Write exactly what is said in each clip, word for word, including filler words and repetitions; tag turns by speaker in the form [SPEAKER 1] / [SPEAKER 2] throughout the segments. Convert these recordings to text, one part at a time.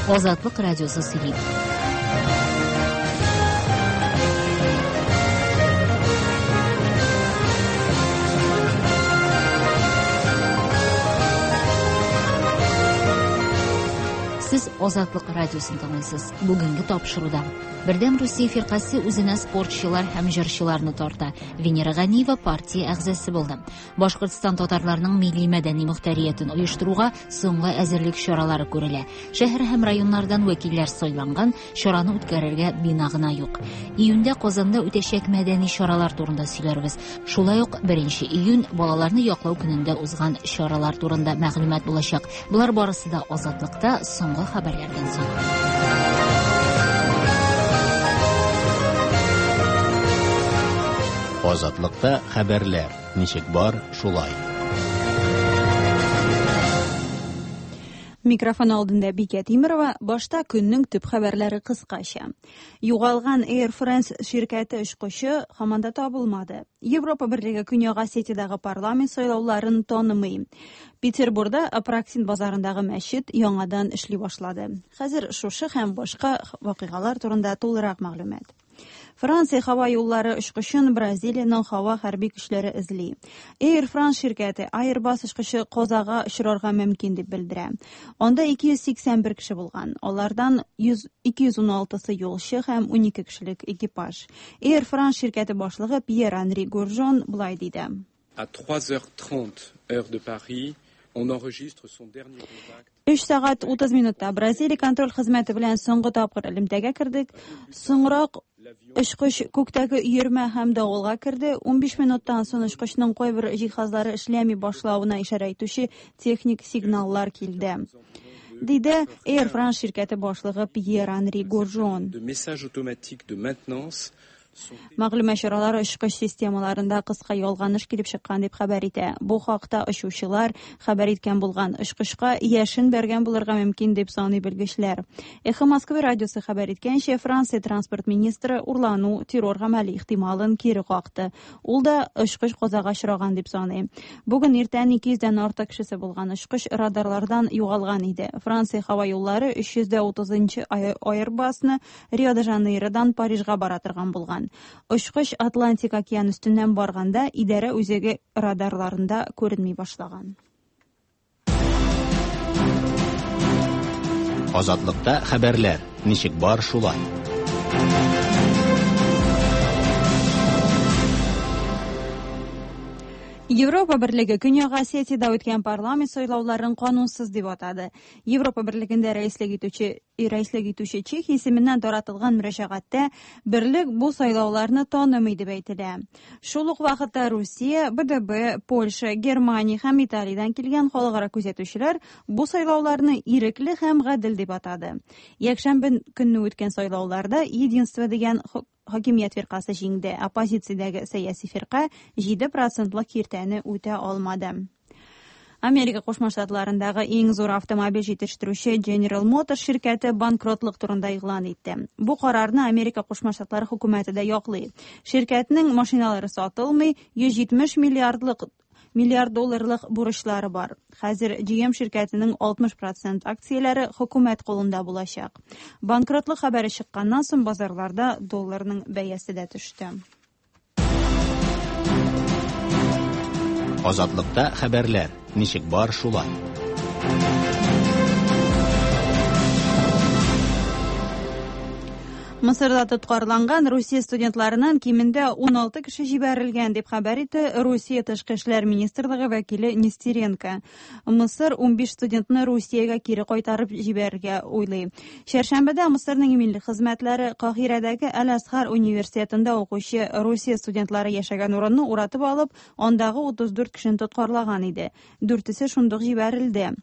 [SPEAKER 1] Азатлык радиосы сөйли. Сез Азатлык радиосын тыңлыйсыз. Бүгенге тапшыруда Бердәм Русия фиркасе үзенә спортчылар һәм җырчыларны тарта. Венера Ганиева партия әгъзасы булды. Башкортстан татарларының милли мәдәни мөхтәриятен оештыруга соңгы әзерлек чаралары күрелә. Шәһәр һәм районнардан вәкилләр сайланган, чараны үткәрергә бина гына юк. Июньдә Казанда үтәчәк мәдәни чаралар турында сөйләрбез. Шулай ук беренче июнь балаларны яклау көнендә узган чаралар турында мәгълүмат булачак. Болар барысы да Азатлыкта соңгы хәбәрләрдән соң.
[SPEAKER 2] Азатлыкта хәбәрләр ничек бар, шулай.
[SPEAKER 3] Микрофон алдында Бикә Тимирова. Башта көннең төп хәбәрләре кыскача. Югалган Air France ширкәте очкычы һаман да табылмады. Европа Берлеге Көньяк Осетиядәге парламент сайлауларын танымый. Петербургда Апраксин базарындагы мәчет яңадан эшли башлады. Хәзер шушы һәм башка вакыйгалар турында тулырак мәгълүмат. Франция һава юллары очкычын Бразилиянең һава хәрби көчләре эзли. Air France ширкәте Airbus очкычы казага очрарга мөмкин дип белдерә. Анда ике йөз сиксән бер кеше булган. Алардан ике йөз уналтысы юлчы һәм унике кешелек экипаж. Air France ширкәте башлыгы Пьер-Анри Гуржон былай диде.
[SPEAKER 4] À trois heures trente heure de Paris, on enregistre son dernier contact.
[SPEAKER 3] Өч сәгать утыз минутта Бразилия контроль хезмәте белән соңгы тапкыр элемтәгә кердек. Соңрак очкыч күктәге өермә һәм давылга керде. Унбиш минуттан соң очкычның кайбер җиһазлары эшләми башлавына ишарә итүче техник сигналлар килде. Диде Air France ширкәте башлыгы Пьер-Анри Гуржон.
[SPEAKER 4] De messages automatiques de maintenance.
[SPEAKER 3] Мәгълүмат чаралары очкыч системаларында кыска ялганыш килеп чыккан дип хәбәр итә. Бу хакта очучылар хәбәр иткән булган. Очкычка яшен бәргән булырга мөмкин дип саный белгечләр. Эхо Москвы радиосы хәбәр иткәнчә, Франция транспорт министры урлану террор гамәле ихтималын кире какты. Ул да очкыч казага очраган дип саный. Бүген иртән ике йөздән артык кешесе булган очкыч радарлардан югалган иде. Франция һава юллары өч йөз утызынчы Airbusны Рио-де-Жанейродан Парижга бара торган булган. Очкыч Атлантик океан өстеннән барганда идарә үзәге радарларында күренми башлаган.
[SPEAKER 2] Азатлыкта хәбәрләр ничек бар, шулай.
[SPEAKER 3] Европа Берлеге Көньяк Осетиядә үткән парламент сайлауларын канунсыз дип атады. Европа Берлегендә рәислек итүче рәислек итүче Чехия исеменнән таратылган мөрәҗәгатьтә берлек бу сайлауларны танымый дип әйтелә. Шул ук вакытта Русия, Б Д Б, Польша, Германия һәм Италиядән килгән халыкара күзәтүчеләр бу сайлауларны ирекле һәм гадел дип атады. Якшәмбе көнне үткән сайлауларда Единство дигән хакимият фиркасы җиңде. Оппозициядәге сәяси фирка җиде процентлык киртәне үтә алмады. Америка Кушма Штатларындагы иң зур автомобиль җитештерүче General Motors ширкәте банкротлык турында игълан итте. Бу карарны Америка Кушма Штатлары хөкүмәте дә яклый. Ширкәтнең машиналары сатылмый, йөз җитмеш миллиардлык миллиард долларлык бурычлары бар. Хәзер G M ширкәтенең алтмыш процент акцияләре хөкүмәт кулында булачак. Банкротлык хәбәре чыкканнан соң базарларда долларның бәясе дә төште.
[SPEAKER 2] Азатлыкта хәбәрләр ничек бар, шулай.
[SPEAKER 3] Мысырда тоткарланган Русия студентларыннан кимендә уналты кеше җибәрелгән дип хәбәр итте Русия Тышкы эшләр министрлыгы вәкиле Нестеренко. Мысыр унбиш студентны Русиягә кире кайтарып җибәрергә уйлый. Чәршәмбедә Мысырның милли хезмәтләре Каһирәдәге Әл-Азһар университетында укучы Русия студентлары яшәгән урынны уратып алып, андагы утыз дүрт кешене тоткарлаган иде. Дүртесе шундук җибәрелде.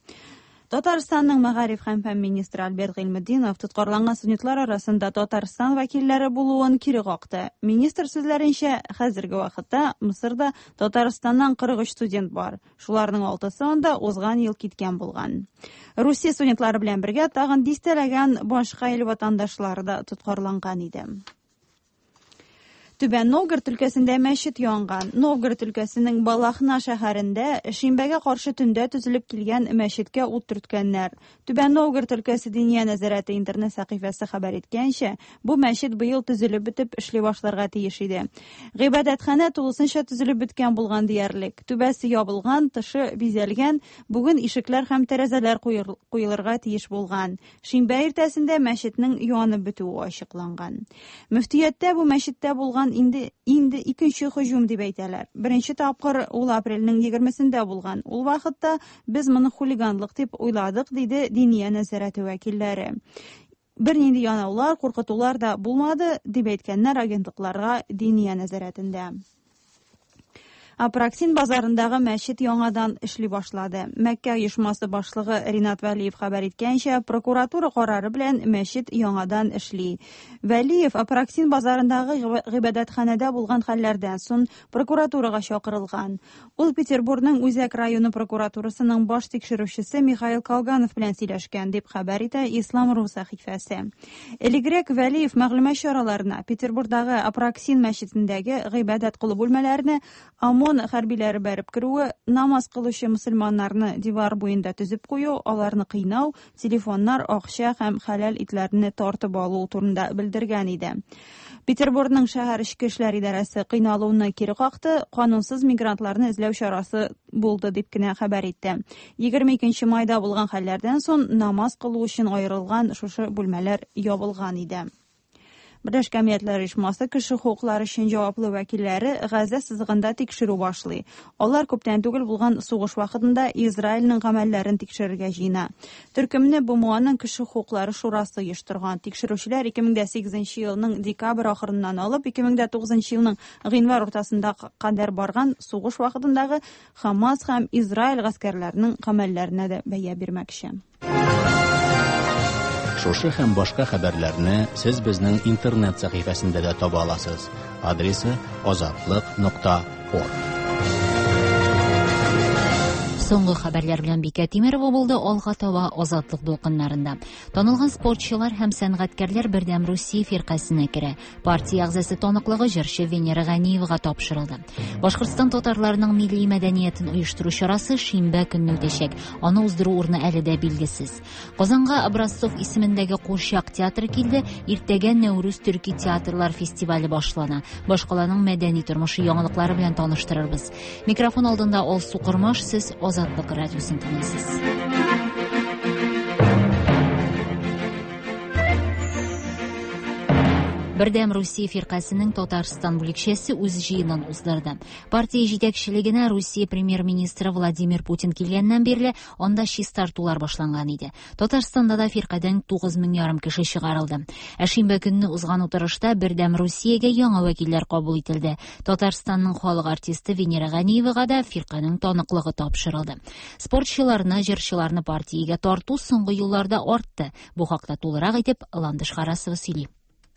[SPEAKER 3] Татарстанның мәгариф һәм фән министры Альберт Гыйльметдинов тоткарланган студентлар арасында Татарстан вәкилләре булуын кире какты. Министр сүзләренчә, хәзерге вакытта Мысырда Татарстаннан кырык өч студент бар. Шуларның алтысы анда узган ел киткән булган. Русия студентлары белән бергә тагын дистәләгән башка ил ватандашлары да тоткарланган иде. Түбән Новгород өлкәсендә мәчет янган. Новгород өлкәсенең Балахна шәһәрендә шимбәгә каршы төндә төзелеп килгән мәчеткә ут төрткәннәр. Түбән Новгород өлкәсе Диния нәзарәте интернет сәхифәсе хәбәр иткәнчә, бу мәчет быел төзелеп бетеп эшли башларга тиеш иде. Гыйбадәтханә тулысынча төзелеп беткән булган диярлек. Түбәсе ябылган, тышы бизәлгән, бүген ишекләр һәм тәрәзәләр куелырга тиеш булган. Шимбә иртәсендә мәчетнең янып бетүе ачыкланган. Мөфтияттә бу мәчеттә булган инде инде икенче һөҗүм дип әйтәләр. Беренче тапкыр ул апрельнең егермесендә булган. Ул вакытта без моны хулиганлык дип уйладык, диде Диния нәзарәте вәкилләре. Бернинди янаулар, куркытулар да булмады, дип әйткәннәр агентлыкларга Диния нәзарәтендә. Апраксин базарындагы мәчет яңадан эшли башлады. Мәккә оешмасы башлыгы Ринат Вәлиев хәбәр иткәнчә, прокуратура карары белән мәчет яңадан эшли. Вәлиев Апраксин базарындагы гыйбадәтханәдә булган хәлләрдән соң прокуратурага чакырылган. Ул Петербургның Үзәк районы прокуратурасының баш тикшерүчесе Михаил Колганов белән сөйләшкән, дип хәбәр итә Ислам.ру сәхифәсе. Элегрәк Вәлиев мәгълүмат чараларына Петербургдагы Апраксин мәчетендәге гыйбадәт кылу бүлмәләренә ОМОН хәрбиләре бәреп керүе, намаз кылучы мөселманнарны дивар буенда төзеп кую, аларны кыйнау, телефоннар, акча һәм хәләл итләрне тартып алу турында белдергән иде. Петербургның шәһәр эчке эшләр идарәсе кыйналуны кире какты, канунсыз мигрантларны эзләү чарасы булды дип кенә хәбәр итте. егерме икенче майда булган хәлләрдән соң намаз кылу өчен аерылган шушы бүлмәләр ябылган иде. Берләшкән Милләтләр Оешмасы кеше хокуклары өчен җаваплы вәкилләре Газа сызыгында тикшерү башлый. Алар күптән түгел булган сугыш вакытында Израильнең гамәлләрен тикшерергә җыена. Төркемне БМОның кеше хокуклары шурасы оештырган. Тикшерүчеләр ике мең дә сигезенче елның декабрь ахырыннан алып ике мең дә тугызынчы елның гыйнвар уртасында кадәр барган сугыш вакытындагы Хамас һәм Израиль гаскәрләренең гамәлләренә дә бәя бирмәкче.
[SPEAKER 2] Шушы һәм башка хәбәрләрне сез безнең интернет сәхифәсендә дә таба аласыз. Адресы азатлык нокта орг.
[SPEAKER 1] Соңгы хәбәрләр белән Бикә Тимерова булды. Алга таба Азатлык дулкыннарында. Танылган спортчылар һәм сәнгатькәрләр Бердәм Русия фиркасенә керә. Партия әгъзасы таныклыгы җырчы Венера Ганиевага тапшырылды. Башкортстан татарларының милли мәдәниятен оештыру чарасы шимбә көнне үтәчәк. Аны уздыру урыны әле дә билгесез. Казанга Образцов исемендәге курчак театры килде. Иртәгә Нәүрүз төрки театрлар фестивале башлана. Башкаланың мәдәни тормышы яңалыклары белән таныштырырбыз. Микрофон алдында Алсу Кормаш, сез Азатлык радиосын тыңлыйсыз. Бердәм Русия фиркасының Татарстан бүлекчәсе үз җыенын уздырды. Партия җитәкчелегенә Русия премьер-министры Владимир Путин килгәннән бирле анда чистартулар башланган иде. Татарстанда да фиркадән тугыз мең ярым кеше чыгарылды. Ә шимбә көнне узган утырышта Бердәм Русиягә яңа вәкилләр кабул ителде. Татарстанның халык артисты Венера Ганиевага да фирканың таныклыгы тапшырылды. Спортчыларны, җырчыларны партиягә тарту соңгы елларда артты. Бу хакта тулырак итеп Ландыш Харасова сөйли.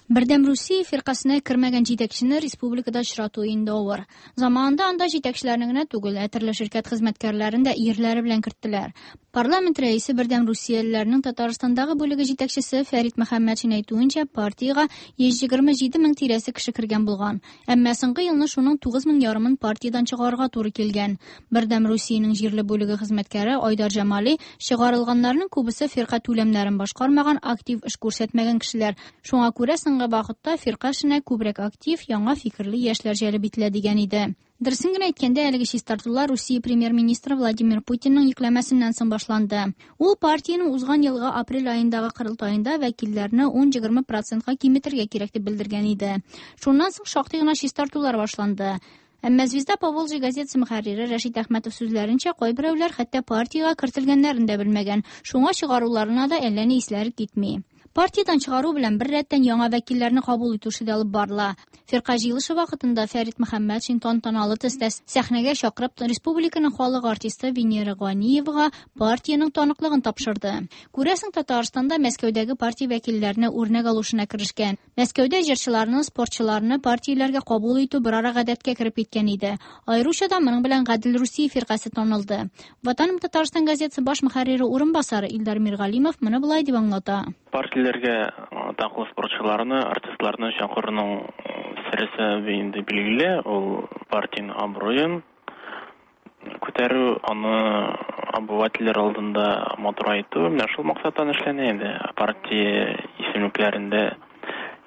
[SPEAKER 5] Бердәм Русия фиркасына кермәгән җитәкчене республикада очрату инде авыр. Заманында анда җитәкчеләрне генә түгел, ә төрле ширкәт хезмәткәрләрен дә ирләре белән керттеләр. Парламент рәисе Бердәм Русиялеләрнең Татарстандагы бүлеге җитәкчесе Фәрит Мөхәммәтшин әйтүенчә, партиягә йөз егерме җиде мең тирәсе кеше кергән булган. Әмма соңгы елны шуның тугыз мең ярымын партиядән чыгарырга туры килгән. Бердәм Русиянең җирле бүлеге хезмәткәре Айдар Җамали чыгарылганнарның күбесе фирка түләмнәрен башкармаган, актив эш күрсәтмәгән кешеләр. Шуңа күрә соңгы вакытта фирка эшенә күбрәк актив, яңа фикерле яшьләр җәлеп ителә дигән иде. Дөресен генә әйткәндә, әлеге чистартулар Русия премьер-министры Владимир Путинның йөкләмәсеннән соң башланды. Ул партиянең узган елгы апрель аендагы корылтаенда вәкилләрне ун-егерме процентка киметергә кирәк дип белдергән иде. Шуннан соң шактый гына чистартулар башланды. Әмма «Звезда Поволжья» газетасы мөхәррире Рәшит Әхмәтов сүзләренчә, кайберәүләр хәтта партиягә кертелгәннәрен дә белмәгән. Шуңа чыгаруларына да әллә ни исләре китми. Партиядән чыгару белән бер рәттән яңа вәкилләрне кабул итү эше дә алып барыла. Фирка җыелышы вакытында Фәрит Мөхәммәтшин тантаналы төстә сәхнәгә чакырып республиканың халык артисты Венера Ганиевага партиянең таныклыгын тапшырды. Күрәсең, Татарстанда Мәскәүдәге партия вәкилләренә үрнәк алу эшенә керешкән. Мәскәүдә җырчыларны, спортчыларны партияләргә кабул итү берара гадәткә кереп киткән иде. Аеруча да моның белән Гадел Русия фиркасе танылды. Ватаным Татарстан газетасы баш мөхәррире урынбасары Илдар Миргалимов моны болай дип аңлата.
[SPEAKER 6] Партияләргә атаклы спортчыларны, артистларны чакыруның Бер сәбәбе инде билгеле, ул партиянең абруен күтәрү, аны обывательләр алдында матурайту. Менә шул максаттан эшләнә инде. Партия исемлекләрендә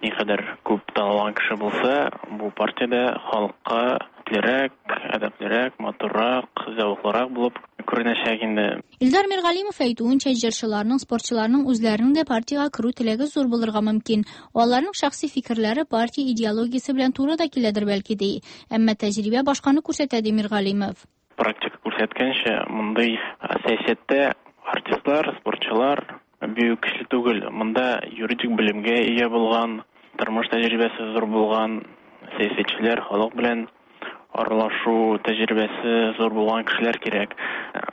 [SPEAKER 6] никадәр күп танылган кеше булса, бу партиядә халыкка иплерәк, әдәплерәк, матуррак, зәвыклырак булып күренәчәк инде.
[SPEAKER 5] Илдар Миргалимов әйтүенчә, җырчыларның, спортчыларның үзләренең дә партиягә керү теләге зур булырга мөмкин. Аларның шәхси фикерләре партия идеологиясе белән туры да киләдер бәлки ди. Әмма тәҗрибә башканы күрсәтә, ди Миргалимов.
[SPEAKER 6] Практика күрсәткәнчә, мондый сәясәттә артистлар, спортчылар бик көчле түгел. Монда юридик белемгә ия булган, тормыш тәҗрибәсе зур булган сәясәтчеләр, халык белән аралашу тәҗрибәсе зур булган кешеләр кирәк.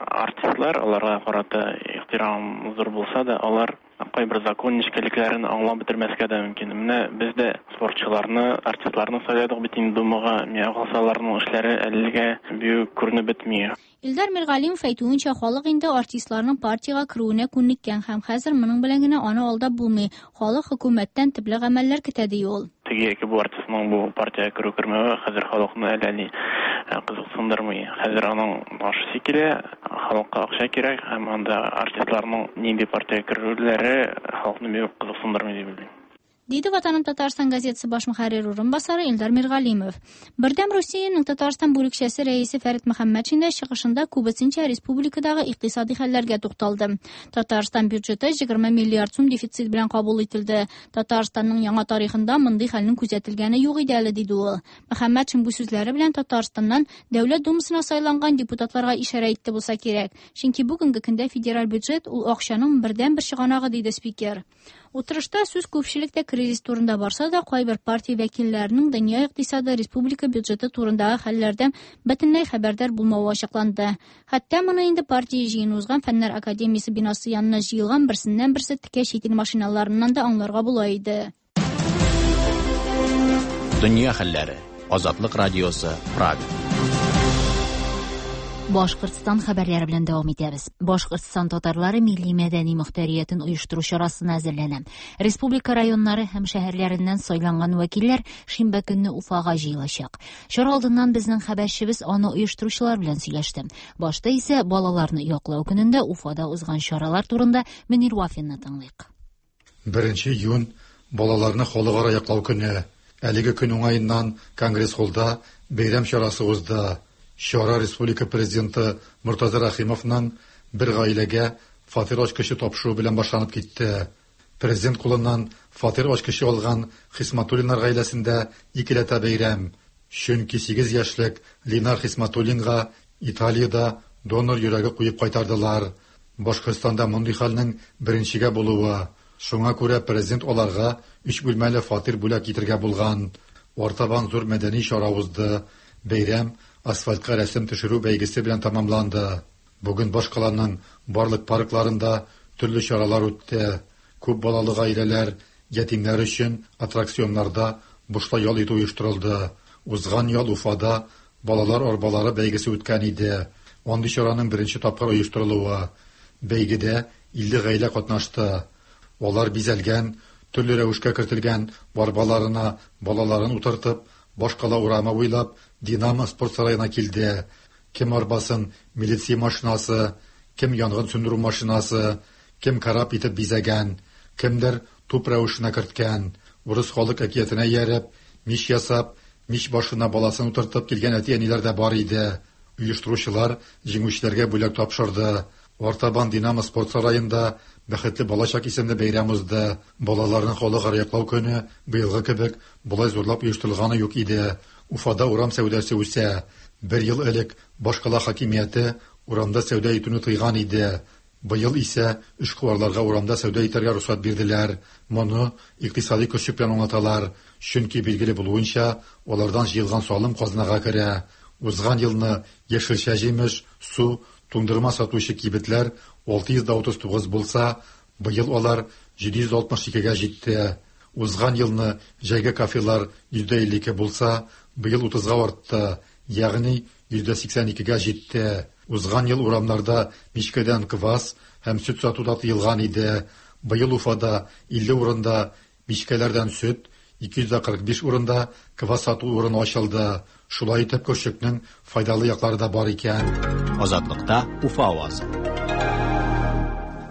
[SPEAKER 6] Артистлар, аларга карата ихтирам зур булса да, алар кайбер закон нечкәлекләрен аңлап бетермәскә дә мөмкин. Менә без дә спортчыларны, артистларны сайладык бит инде Думага. Миңа калса, аларның эшләре әлегә бик күренеп бетми.
[SPEAKER 5] Илдар Миргалимов әйтүенчә, халык инде артистларның партиягә керүенә күнеккән һәм хәзер моның белән генә аны алдап булмый. Халык хөкүмәттән төпле гамәлләр көтә, ди ул.
[SPEAKER 6] Теге яки бу артистның бу партиягә керү кермәве хәзер халыкны әллә ни кызыксындырмый. Хәзер аның ашысы килә, халыкка акча кирәк һәм анда артистларның нинди партиягә керүләре халыкны бик кызыксындырмый дип уйлыйм.
[SPEAKER 5] Диде Ватаным Татарстан газетасы баш мөхәррире урынбасары Илдар Миргалимов. Бердәм Русиянең Татарстан бүлекчәсе рәисе Фәрит Мөхәммәтшин дә чыгышында күбесенчә республикадагы икътисади хәлләргә тукталды. Татарстан бюджеты егерме миллиард сум дефицит белән кабул ителде. Татарстанның яңа тарихында мондый хәлнең күзәтелгәне юк иде әле, диде ул. Мөхәммәтшин бу сүзләре белән Татарстаннан Дәүләт Думасына сайланган депутатларга ишарә итте булса кирәк. Чөнки бүгенге көндә федераль бюджет ул акчаның бердәнбер чыганагы, диде спикер. Утырышта сүз күпчелектә кризис турында барса да, кайбер партия вәкилләренең дөнья икътисады, республика бюджеты турындагы хәлләрдән бөтенләй хәбәрдар булмавы ачыкланды. Хәтта моны инде партия җыены узган Фәннәр академиясе бинасы янына җыелган берсеннән берсе текә чит ил машиналарыннан да аңларга була иде.
[SPEAKER 2] Дөнья хәлләре. Азатлык радиосы, Прага.
[SPEAKER 1] Башкортстан хәбәрләре белән дәвам итәбез. Башкортстан татарлары милли мәдәни мөхтәриятен оештыру чарасына әзерләнә. Республика районнары һәм шәһәрләреннән сайланган вәкилләр шимбә көнне Уфага җыелачак. Чара алдыннан безнең хәбәрчебез аны оештыручылар белән сөйләште. Башта исә балаларны яклау көнендә Уфада узган чаралар турында Мөнир Вафинны тыңлыйк.
[SPEAKER 7] Беренче июнь балаларны халыкара яклау көне. Әлеге көн уңаеннан Конгресс-холлда бәйрәм чарасы узды. Чара Республика президенты Муртаза Рахимовның бер гаиләгә фатир ачкычы тапшыру белән башланып китте. Президент кулыннан фатир ачкычы алган Хисматуллиннар гаиләсендә икеләтә бәйрәм. Чөнки сигез яшьлек Ленар Хисматуллинга Италиядә донор йөрәге куеп кайтардылар. Башкортстанда мондый хәлнең беренчегә булуы. Шуңа күрә президент аларга өч бүлмәле фатир бүләк итергә булган. Артабан зур мәдәни чара узды. Бәйрәм асфальтка рәсем төшерү бәйгесе белән тәмамланды. Бүген башкаланың барлык паркларында төрле чаралар үтте. Күп балалы гаиләләр, ятимнәр өчен аттракционнарда бушлай ял итү оештырылды. Узган ял Уфада балалар арбалары бәйгесе үткән иде. Андый чараның беренче тапкыр оештырылуы. Бәйгедә илле гаилә катнашты. Алар бизәлгән, төрле рәвешкә кертелгән арбаларына балаларын утыртып, башкала урамы буйлап Динамо спорт сараена килде. Кем арбасын милиция машинасы, кем янгын сүндерү машинасы, кем карап итеп бизәгән, кемдер туп рәвешенә керткән. Урыс халык әкиятенә ияреп, мич ясап, мич башына баласын утыртып килгән әти-әниләр дә бар иде. Оештыручылар җиңүчеләргә бүләк тапшырды. Артабан Динамо спорт сараенда Бәхетле балачак исемле бәйрәм узды. Балаларны халыкара яклау көне быелгы кебек болай зурлап оештырылганы юк иде. Уфада урам сәүдәсе үсә. Бер ел элек башкала хакимияте урамда сәүдә итүне тыйган иде. Быел исә эшкуарларга урамда сәүдә итәргә рөхсәт бирделәр. Моны икътисади көчлек белән аңлаталар. Чөнки билгеле булуынча, алардан җыелган салым казнага керә. Узган елны яшелчә, җимеш, су, туңдырма сатучы кибетләр алты йөз утыз тугыз булса, быел алар җиде йөз алтмыш икегә җитте. Узган елны җәйге кафелар йөздә илле ике булса, быел утызга артты, ягъни йөздә сиксән икегә җитте. Узган ел урамнарда мичкәдән квас һәм сөт сату да тыелган иде. Быел Уфада илле урында мичкәләрдән сөт, ике йөз кырык биш урында квас сату урыны ачылды. Шулай итеп көрчекнең файдалы яклары да бар икән.
[SPEAKER 2] Азатлыкта Уфа авазы.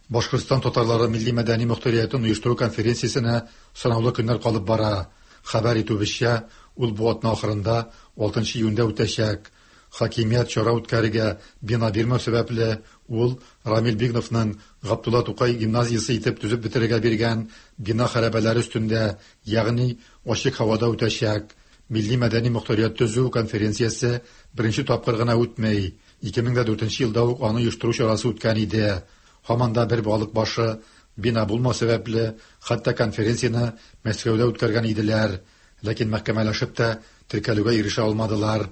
[SPEAKER 7] Башкортстан татарлары милли мәдәни мөхтәриятен оештыру конференциясенә санаулы көннәр калып бара. Хәбәр итүебезчә, ул бу атна ахырында алтынчы июньдә үтәчәк. Хакимият чара үткәрергә бина бирмәү сәбәпле, ул Рамил Бигновның Габдулла Тукай гимназиясе итеп төзеп бетерергә биргән бина хәрабәләре өстендә, ягъни ачык һавада үтәчәк. Милли мәдәни мөхтәрият төзү конференциясе беренче тапкыр гына үтмәй. ике мең дүртенче елда ук аны оештыру чарасы үткән иде. Һаман да бер балык башы бина булмау сәбәпле, хәтта конференцияне Мәскәүдә үткәргән иделәр. Ләкин мәхкәмәләшеп тә теркәлүгә ирешә алмадылар.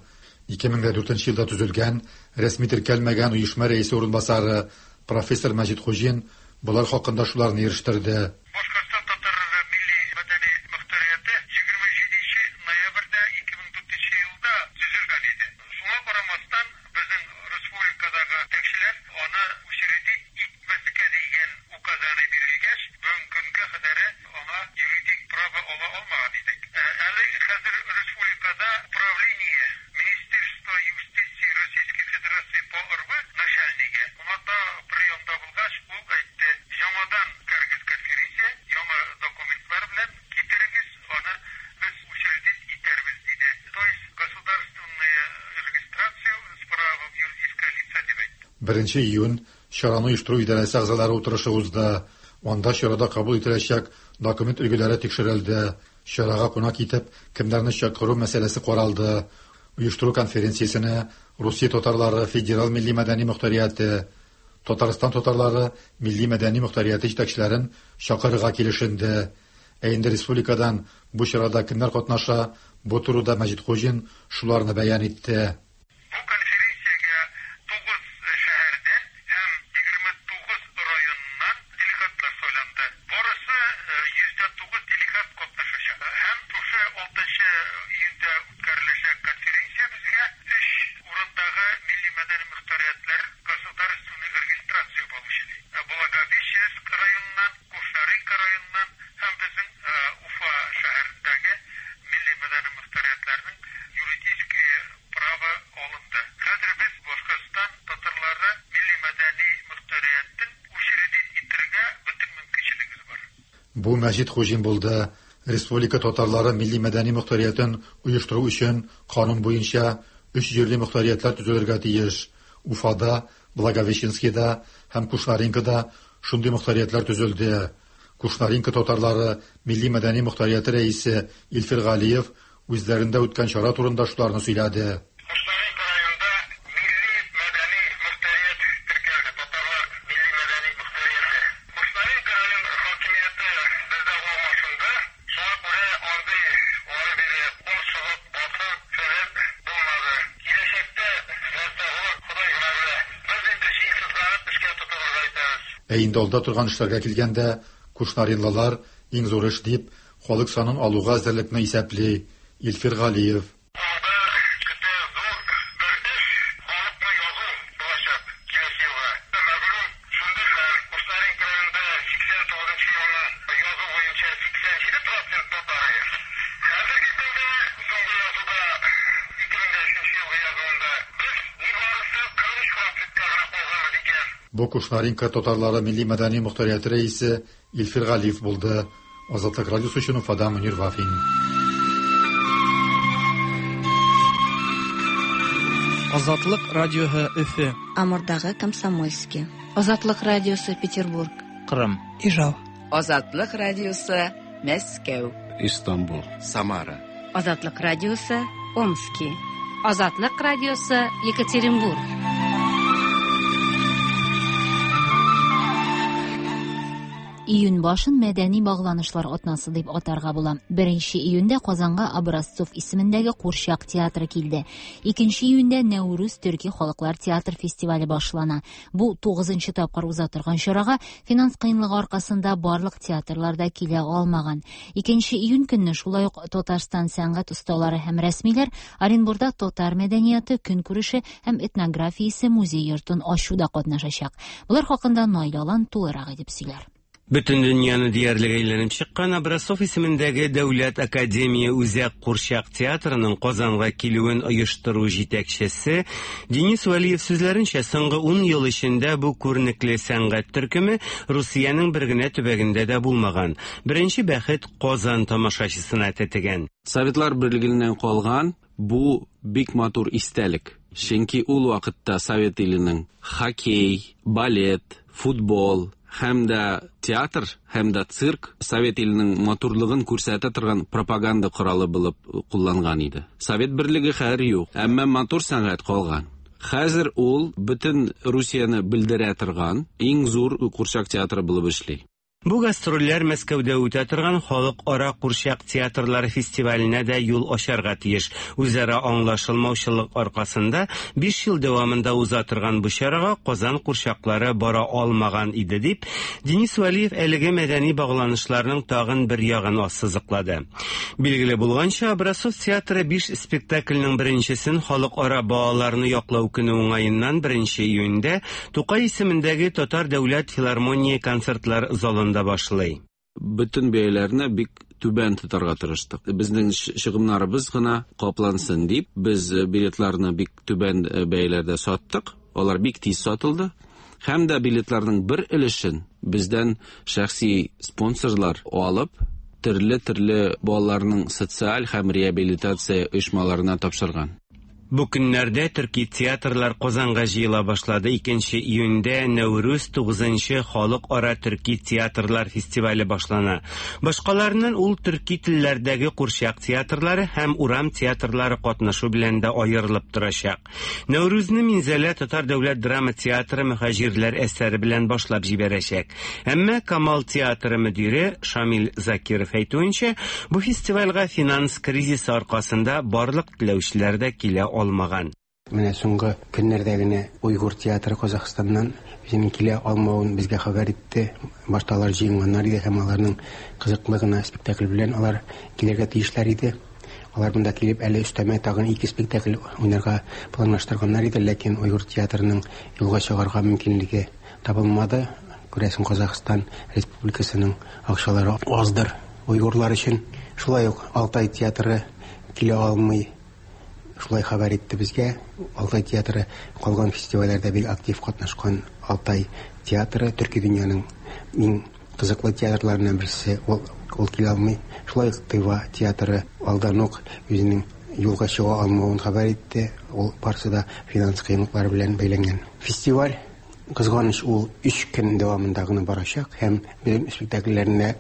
[SPEAKER 7] ике мең дүртенче елда төзелгән рәсми теркәлмәгән оешма рәисе урынбасары профессор Мәҗит Хуҗин болар хакында шуларны ирештерде.
[SPEAKER 8] Башкортстан татарлары милли мәдәни мөхтәрияте егерме җиденче ноябрьдә ике мең дүртенче елда төзелгән иде. Шуңа карамастан безнең республикадагы җитәкчеләр аны учредить итмәскә дигән указаны бирелгәч, бүгенге көнгә кадәр аңа юридик право ала алмаган идек. Әле хәзер республикада управление Министерство юстиции Российской Федерации по РВ начальнигы уңата приемда булгач, ул әйтте: "Яңадан кергез конференция, яңа документлар белән китерегез, аны без учредить итәрбез", диде. То есть государственная регистрация с правом юридического лица дип әйтте.
[SPEAKER 7] Беренче июнь чараны оештыру идарәсе әгъзалары утырышы узды. Анда чарада кабул ителәчәк документ өлгеләре тикшерелде. Чарага кунак итеп кемнәрне чакыру мәсьәләсе каралды. Оештыру конференциясенә Русия татарлары федераль милли мәдәни мөхтәрияте, Татарстан татарлары милли мәдәни мөхтәрияте җитәкчеләрен чакырырга килешенде. Ә инде республикадан бу чарада кемнәр катнаша, бу турыда Мәҗит Хуҗин шуларны бәян итте.
[SPEAKER 8] Бу конференциягә тугыз шәһәрдән һәм егерме тугыз районнан делегатлар сайланды. Барысы йөздә тугыз делегат катнашачак. Һәм шушы алтынчы июньдә үткәреләчәк конференция безгә өч урындагы милли мәдәни мөхтәриятләр государственный регистрация получили. Благовещенск районыннан, Кушнаренко районыннан һәм безнең Уфа шәһәрендәге милли мәдәни мөхтәриятләрнең юридический право алынды. Хәзер без Башкортстан татарлары милли мәдәни мөхтәриятен учредить итәргә бөтен мөмкинчелегебез бар.
[SPEAKER 7] Бу Мәҗит Хуҗин булды. Республика татарлары милли мәдәни мөхтәриятен оештыру өчен канун буенча өч җирле мөхтәриятләр төзелергә тиеш. Уфада, Благовещенскида һәм Кушнаренкода шундый мөхтәриятләр төзелде. Кушнаренко татарлары милли мәдәни мөхтәрияте рәисе Илфир Галиев үзләрендә үткән чара турында шуларны сөйләде.
[SPEAKER 8] Кушнаренко районында милли мәдәни мөхтәрият теркәлде, татарлар милли мәдәни мөхтәрияте. Кушнаренко район хакимияте бездә алмашынды. Шуңа күрә андый ары-бире кул чыгып, басу фәлән булмады. Киләчәктә нәрсә булыр, Ходай гына белә. Без инде җиң сызганып эшкә тотынырга итәбез.
[SPEAKER 7] Ә инде алда торган эшләргә килгәндә, кушнаринлылар иң зур эш дип халык санын алуга әзерлекне исәпли. Илфир Галиев.
[SPEAKER 8] Алда көтә зур бер эш, халыкны язу булачак киләсе елга. Мәгълүм шундый хәл, Кушнаренко районында сиксән тугызынчы елны язу буенча сиксән җиде процент татары. Хәзерге көндә соңгы язуда ике мең өченче елгы язуында без нибарысы кырык өч процентка гына калганбыз икән.
[SPEAKER 7] Бу Кушнаренко татарлары милли мәдәни мөхтәрияте рәисе Илфир Галиев булды. Азатлык радиосы өчен Уфада Мөнир Вафин.
[SPEAKER 9] Азатлык радиоһы Өфө.
[SPEAKER 10] Амурдагы Комсомольский. Азатлык радиосы Петербург.
[SPEAKER 9] Кырым.
[SPEAKER 11] Ижау.
[SPEAKER 12] Азатлык радиосы Мәскәү.
[SPEAKER 4] Истанбул. Самара.
[SPEAKER 13] Азатлык радиосы Омски. Азатлык радиосы Екатеринбург.
[SPEAKER 1] Июнь башын мәдәни багланышлар атнасы дип атарга була. Беренче июньдә Казанга Образцов исемендәге Курчак театры килде. Икенче июньдә Нәүрүз төрки халыклар театр фестивале башлана. Бу тугызынчы тапкыр уза торган чарага финанс кыенлыгы аркасында барлык театрлар да килә алмаган. Икенче июнь көнне шулай ук Татарстан сәнгать осталары һәм рәсмиләр Оренбурда татар мәдәнияте, көнкүреше һәм этнографиясе музей йортын ачуда катнашачак. Булар хакында Наилә Алан тулырак итеп сөйләр.
[SPEAKER 11] Бөтен дөньяны диярлек әйләнеп чыккан Образцов исемендәге Дәүләт академия үзәк курчак театрының Казанга килүен оештыру җитәкчесе Денис Вәлиев сүзләренчә, соңгы ун ел эчендә бу күренекле сәнгать төркеме Русиянең бер генә төбәгендә дә булмаган. Беренче бәхет Казан тамашачысына тәтегән.
[SPEAKER 14] Советлар Берлегеннән калган бу бик матур истәлек. Чөнки ул вакытта Совет иленең хоккей, балет, футбол һәм дә театр, һәм дә цирк Совет иленең матурлыгын күрсәтә торган пропаганда коралы булып кулланган иде. Совет Берлеге хәзер юк, әмма матур сәнгать калган. Хәзер ул бөтен Русияне белдерә торган иң зур курчак театры булып эшли.
[SPEAKER 11] Бу гастрольләр Мәскәүдә үтә торган халыкара курчак театрлары фестиваленә дә юл ачарга тиеш. Үзара аңлашылмаучылык аркасында биш ел дәвамында уза торган бу чарага Казан курчаклары бара алмаган иде дип, Денис Вәлиев әлеге мәдәни багланышларның тагын бер ягын ассызыклады. Билгеле булганча, Образцов театры биш спектакльнең беренчесен халыкара балаларны яклау көне уңаеннан беренче июньдә Тукай исемендәге Татар дәүләт филармония концертлар залында башлый.
[SPEAKER 14] Бөтен бәяләрне бик түбән тотарга тырыштык. Безнең чыгымнарыбыз гына каплансын дип, без билетларны бик түбән бәяләрдә саттык. Алар бик тиз сатылды. Һәм дә билетларның бер өлешен бездән шәхси спонсорлар алып, төрле-төрле балаларның социаль һәм реабилитация оешмаларына тапшырган.
[SPEAKER 11] Бу көннәрдә төрки театрлар Казанга җыела башлады. Икенче июньдә Нәүрүз тугызынчы халыкара төрки театрлар фестивале башлана. Башкаларыннан ул төрки телләрдәге курчак театрлары һәм урам театрлары катнашу белән дә аерылып торачак. Нәүрүзне Минзәлә Татар дәүләт драма театры мөһаҗирләр әсәре белән башлап җибәрәчәк. Әмма Камал театры мөдире Шамил Закиров әйтүенчә, бу фестивальгә финанс кризисы аркасында барлык теләүчеләр дә килә алмаган.
[SPEAKER 15] Менә соңгы көннәрдә генә Уйгур театры Казахстаннан үзенең килә алмавын безгә хәбәр итте. Башта алар җыенганнар иде һәм аларның кызыклы гына спектакль белән алар килергә тиешләр иде. Алар монда килеп әле өстәмә тагын ике спектакль уйнарга планлаштырганнар иде, ләкин Уйгур театрының юлга чыгарга мөмкинлеге табылмады. Күрәсең, Казахстан Республикасының акчалары аздыр уйгурлар өчен. Шулай ук Алтай театры килә алмый. Шулай хәбәр итте безгә. Алтай театры калган фестивальләрдә бик актив катнашкан Алтай театры төрки дөньяның иң кызыклы театрларыннан берсе, ул, ул килә алмый. Шулай ук Тыва театры алдан ук үзенең юлга чыга алмавын хәбәр итте. Ул барысы да финанс кыенлыклары белән бәйләнгән. Фестиваль кызганыч ул өч көн дәвамында гына барачак һәм безнең спектакльләрне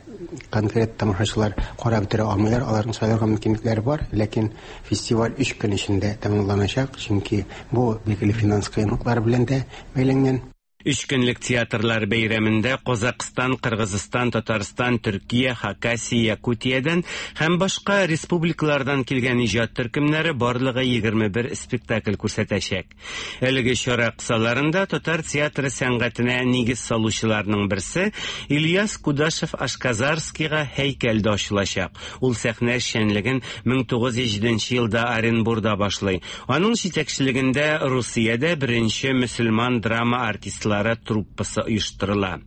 [SPEAKER 15] конкрет тамашачылар карап бетерә алмыйлар, аларның сайларга мөмкинлекләре бар, ләкин фестиваль өч көн эчендә тәмамланачак, чөнки бу билгеле финанс кыенлыклары белән дә бәйләнгән.
[SPEAKER 11] Өч көнлек театрлар бәйрәмендә Казакъстан, Кыргызстан, Татарстан, Төркия, Хакасия, Якутиядән һәм башка республикалардан килгән иҗат төркемнәре барлыгы егерме бер спектакль күрсәтәчәк. Әлеге чара кысаларында татар театры сәнгатенә нигез салучыларның берсе Ильяс Кудашев Ашказарскийга һәйкәл дә ачылачак. Ул сәхнә эшчәнлеген мең тугыз йөз җиденче елда Оренбурда башлый. Аның җитәкчелегендә Русиядә беренче мөселман драма артистлары труппасы оештырыла.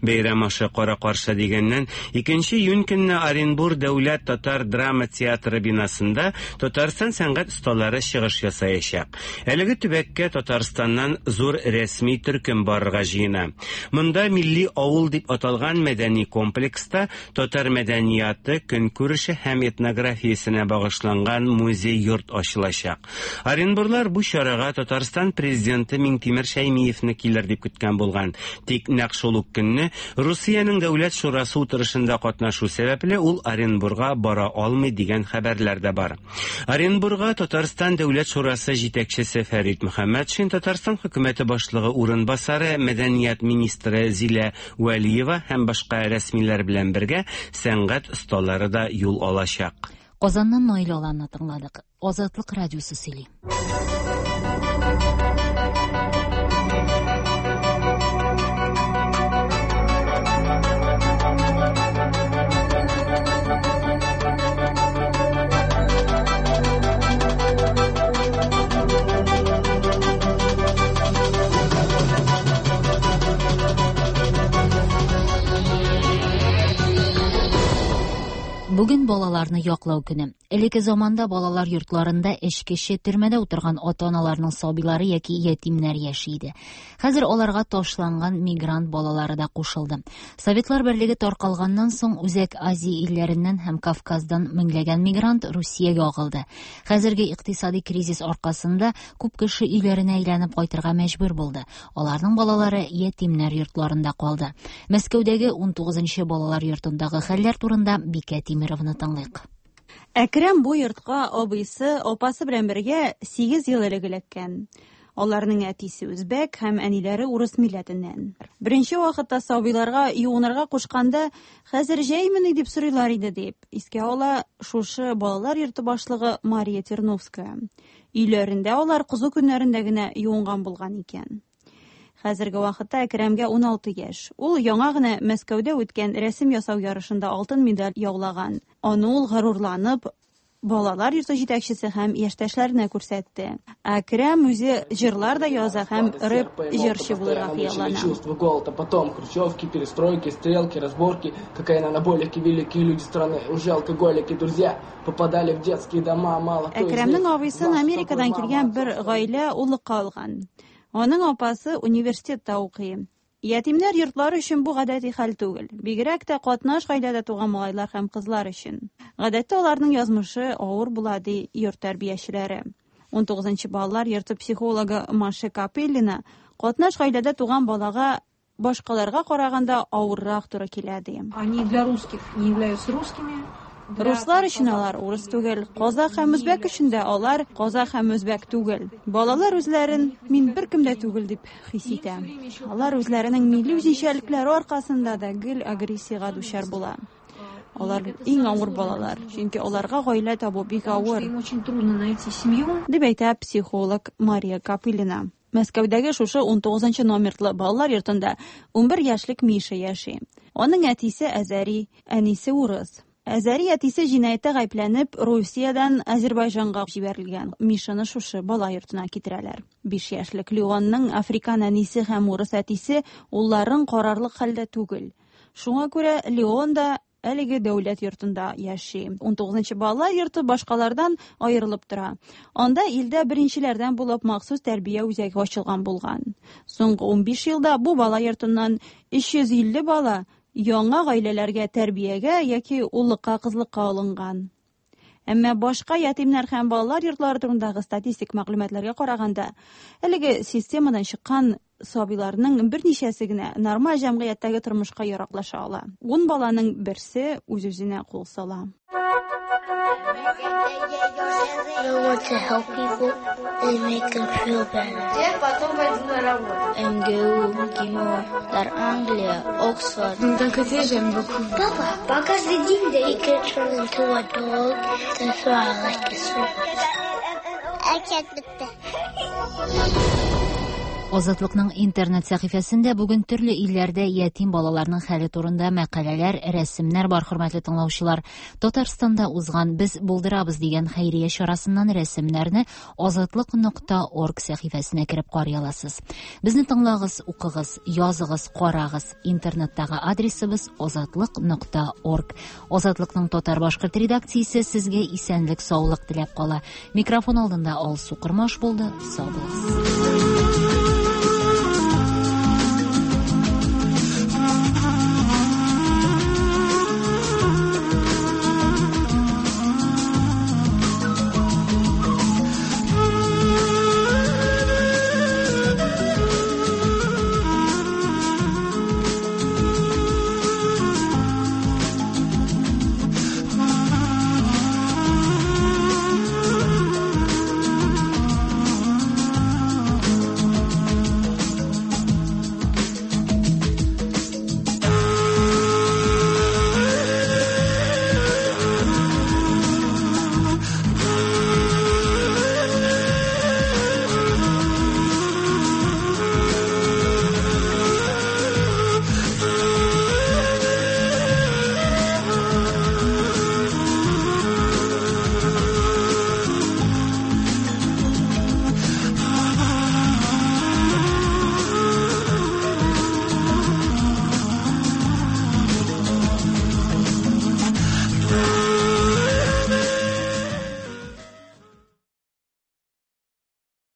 [SPEAKER 11] Бәйрәм ашы кара-каршы дигәннән, икенче июнь көнне Оренбур дәүләт татар драма театры бинасында Татарстан сәнгать осталары чыгыш ясаячак. Әлеге төбәккә Татарстаннан зур рәсми төркем барырга җыена. Монда милли авыл дип аталган мәдәни комплекста татар мәдәнияты, көнкүреше һәм этнографиясенә багышланган музей-йорт ачылачак. Оренбурлар бу чарага Татарстан президенты Миңтимер Шәймиевне килер дип көткән булган. Тик нәкъ шул ук көнне Русиянең дәүләт шурасы утырышында катнашу сәбәпле ул Оренбурга бара алмый дигән хәбәрләр дә бар. Оренбурга Татарстан дәүләт шурасы җитәкчесе Фәрит Мөхәммәтшин, Татарстан хөкүмәте башлыгы урынбасары, мәдәният министры Зилә Вәлиева һәм башка рәсмиләр белән бергә сәнгать осталары да юл алачак.
[SPEAKER 1] Казаннан Наил Аланны тыңладык. Азатлык радиосы сөйли. Бүген балаларны яклау көне. Элекке заманда балалар йортларында эчкече, төрмәдә утырган ата-аналарның сабыйлары яки ятимнәр яши иде. Хәзер аларга ташланган мигрант балалары да кушылды. Советлар Берлеге таркалганнан соң Үзәк Азия илләреннән һәм Кавказдан меңләгән мигрант Русиягә агылды. Хәзерге икътисади кризис аркасында күп кеше өйләренә әйләнеп кайтырга мәҗбүр булды. Аларның балалары ятимнәр йортларында калды. Мәскәүдәге ун тугызынчы балалар йортындагы хәлләр турында Бикә Тимированы тыңлыйк.
[SPEAKER 3] Әкрәм бу йортка абыйсы, апасы белән бергә сигез ел элек эләккән. Аларның әтисе үзбәк һәм әниләре урыс милләтеннән. Беренче вакытта сабыйларга юынырга кушканда, хәзер җәймени дип сорыйлар иде дип искә ала шушы балалар йорты башлыгы Мария Терновская. Өйләрендә алар кызу көннәрендә генә юынган булган икән. Хәзерге вакытта Әкрәмгә ун алты яшь. Ул яңа гына Мәскәүдә үткән рәсем ясау ярышында алтын медаль яулаган. Аны ул горурланып балалар йорты җитәкчесе һәм яшьтәшләренә күрсәтте. Әкрәм үзе җырлар да яза һәм рэп җырчы булырга хыяллана.
[SPEAKER 16] Чувство голода, потом хрущевки, перестройки, стрелки, разборки, какая анаболики, великие люди страны, уже алкоголики, друзья попадали в детские дома, мало кто из них.
[SPEAKER 3] Әкрәмнең абыйсын Америкадан килгән бер гаилә уллыкка алган. Аның апасы университетта укый. Ятимнәр йортлары өчен бу гадәти хәл түгел. Бигрәк тә катнаш гаиләдә туган малайлар һәм кызлар өчен. Гадәттә аларның язмышы авыр була, ди йорт тәрбиячеләре. ун тугызынчы балалар йорты психологы Маша Капеллина катнаш гаиләдә туган балага башкаларга караганда авыррак туры килә, ди.
[SPEAKER 17] Они для русских не являются русскими.
[SPEAKER 3] Руслар өчен алар урыс түгел, казах һәм үзбәк өчен дә алар казах һәм үзбәк түгел. Балалар үзләрен мин беркем дә түгел дип хис итә. Алар үзләренең милли үзенчәлекләре аркасында да гел агрессиягә дучар була. Алар иң авыр балалар, чөнки аларга гаилә табу бик авыр.
[SPEAKER 17] Им очень трудно найти семью,
[SPEAKER 3] дип әйтә психолог Мария Капеллина. Мәскәүдәге шушы ун тугызынчы номерлы балалар йортында ун бер яшьлек Миша яши. Аның әтисе әзәри, әнисе урыс. Әзәри әтисе җинаятьтә гаепләнеп, Русиядән Азербайҗанга җибәрелгән. Мишаны шушы бала йортына китерәләр. Биш яшьлек Леонның африкан әнисе һәм урыс әтисе улларын карарлык хәлдә түгел. Шуңа күрә Леон да әлеге дәүләт йортында яши. ун тугызынчы балалар йорты башкалардан аерылып тора. Анда илдә беренчеләрдән булып махсус тәрбия үзәге ачылган булган. Соңгы ун биш елда бу бала йортыннан өч йөз илле бала яңа гаиләләргә тәрбиягә яки уллыкка, кызлыкка алынган. Әмма башка ятимнәр һәм балалар йортлары турындагы статистик мәгълүматларга караганда, әлеге системадан чыккан сабыйларның берничәсе генә нормаль җәмгыятьтәге тормышка яраклаша ала. Ун баланың берсе үз-үзенә кул сала.
[SPEAKER 18] I want to help people and make them feel better. МГУ, МГИМО, Дар Англия, Оксфорд.
[SPEAKER 19] D'un côté, j'aime beaucoup.
[SPEAKER 18] Папа, каждый день he can turn into a dog. That's why I like this one. I can't with that.
[SPEAKER 1] Азатлыкның интернет сәхифәсендә бүген төрле илләрдә ятим балаларның хәле турында мәкаләләр, рәсемнәр бар, хөрмәтле тыңлаучылар. Татарстанда узган Без булдырабыз дигән хәйрия чарасыннан рәсемнәрне азатлык нокта орг сәхифәсенә кереп карый аласыз. Безне тыңлагыз, укыгыз, языгыз, карагыз. Интернеттагы адресыбыз азатлык нокта орг. Азатлыкның татар-башкорт редакциясе сезгә исәнлек, саулык теләп кала. Микрофон алдында Алсу Кырмаш булды. Сау булыгыз.